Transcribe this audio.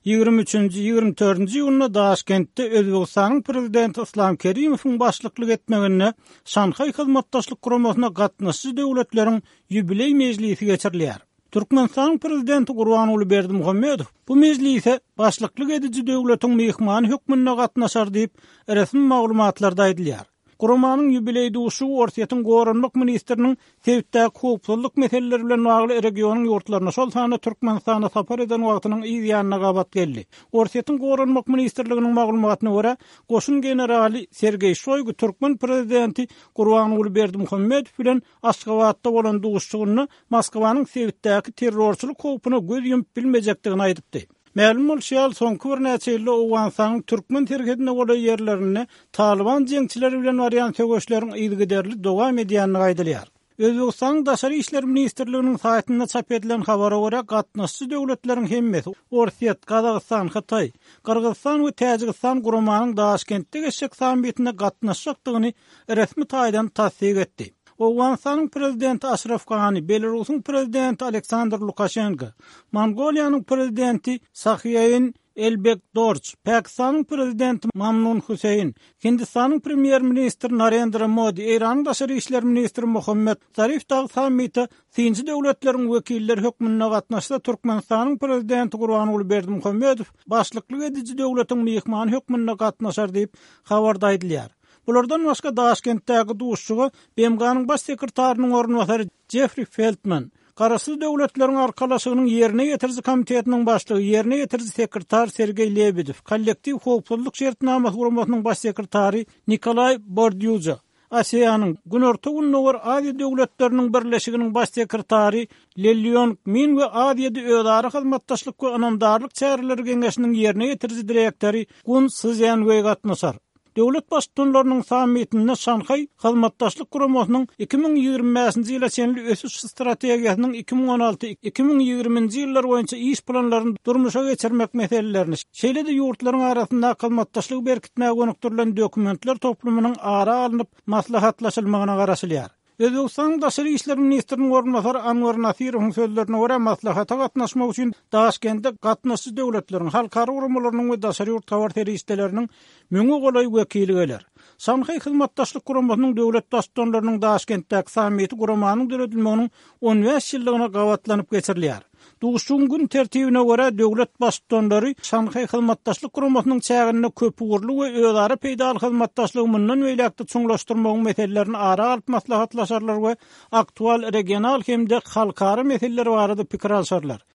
Ýigrimi üçünji, ýigrimi dördünji iýunda Daşkentde Özbegistanyň Prezidenti Yslam Kerimowyň başlyklyk etmeginde Şanhaý Hyzmatdaşlyk Guramasyna gatnaşyjy döwletleriň ýubileý mejlisi geçirilýär. Türkmenistanyň Prezidenti Gurbanguly Berdimuhamedow bu mejlise başlyklyk ediji döwletiň myhmany hökmünde gatnaşar diýip, resmi maglumatlarda aýdylýar. Guramanyň ýubileý duşuşygy Orsýetiň Goranmak ministriniň sebitdäki howpsuzlyk meseleleri bilen bagly regionyň ýurtlaryna, şol sanda Türkmenistana sapar eden wagtynyň yz ýanyna gabat geldi. Orsýetiň Goranmak ministrliginiň maglumatyna görä, goşun generaly Sergeý Şoýgu türkmen prezidenti Gurbanguly Berdimuhamedow bilen Aşgabatda bolan duşuşygynda Moskwanyň sebitdäki terrorçylyk howpuna göz ýumup bilmejekdigini aýdypdy. Mälim bolşy ýaly, soňky birnäçe ýylda Owganystanyň türkmen serhedine golaý ýerlerinde Talyban jeňçileri bilen barýan söweşleriň yzygiderli dowam edýändigi aýdylýar. Özbegistanyň Daşary işler ministrliginiň saýtynda çap edilen habara görä, gatnaşyjy döwletleriň hemmesi, Orsýet, Gazagystan, Hytaý, Gyrgyzystan we Täjigistan guramanyň Daşkentde geçjek sammitine gatnaşjakdygyny resmi taýdan tassyk etdi. Owganystanyň Prezidenti Aşraf Gani, Belarusyň Prezidenti Aleksandr Lukaşenko, Mongoliýanyň Prezidenti Sahiýain Elbekdorj, Pakistanyň Prezidenti Mamnun Huseýn, Hindistanyň Premýer-ministri Narendra Modi, Eýranyň Daşary işler ministri Mohammed Zarif dagy sammite synçy döwletleriň wekilleri hökmünde gatnaşsa, Türkmenistanyň Prezidenti Gurbanguly Berdimuhamedow başlyklyk ediji döwletiň myhmany hökmünde gatnaşar diýip, habarda aýdylýar. Bulardan başga Daşkentdäki duşuşyga BMG-niň Baş sekretarynyň orunbasary Jeffri Feltman, Garaşsyz Döwletleriň Arkalaşygynyň Ýerine ýetiriji komitetiniň başlygy, ýerine ýetiriji sekretar Sergeý Lebedew, Kollektiw howpsuzlyk şertnamasy guramasynyň baş sekretary Nikolaý Bordýuža, ASEAN-yň, Günorta-Gündogar Aziýa döwletleriniň birleşiginiň baş sekretary Le Lýong Min we Aziýada özara hyzmatdaşlyk we ynamdarlyk çäreleri geňeşiniň ýerine ýetiriji direktory Gun Szýanweý gatnaşar. Döwlet Baştutanlarynyň sammitinde Şanhaý Hyzmatdaşlyk Guramasynyň 2025-nji ýyla çenli ösüş strategiýasynyň 2016, 2020-nji ýyllar boýunça iş planlaryny durmuşa geçirmek meselelerini, şeýle-de ýurtlaryň arasyndaky hyzmatdaşlygy berkitmäge gönükdirilen dokumentler toplumynyň ara alnyp maslahatlaşylmagyna garaşylýar. Özbegistanyň daşary işler ministriniň orunbasary Anwar Nasirowyň sözlerine görä, maslahata gatnaşmak üçin Daşkende gatnaşyjy döwletleriň, halkara guramalarynyň we daşary ýurt habar serişdeleriniň müňe golaý wekili geler. Şanhaý Hyzmatdaşlyk Guramasynyň döwlet Baştutanlarynyň Daşkentdäki sammiti guramanyň döredilmeginiň 15 ýyllygyna gabatlanyp geçirilýär. Duşuşygyň gün tertibine görä, döwlet Baştutanlary Şanhaý Hyzmatdaşlyk Guramasynyň çäginde köpugurly we özara peýdaly hyzmatdaşlygy mundan beýläk-de çuňlaşdyrmagyň meselelerini ara alyp maslahatlaşarlar we aktual regional hem-de halkara meseleler barada pikir alşarlar.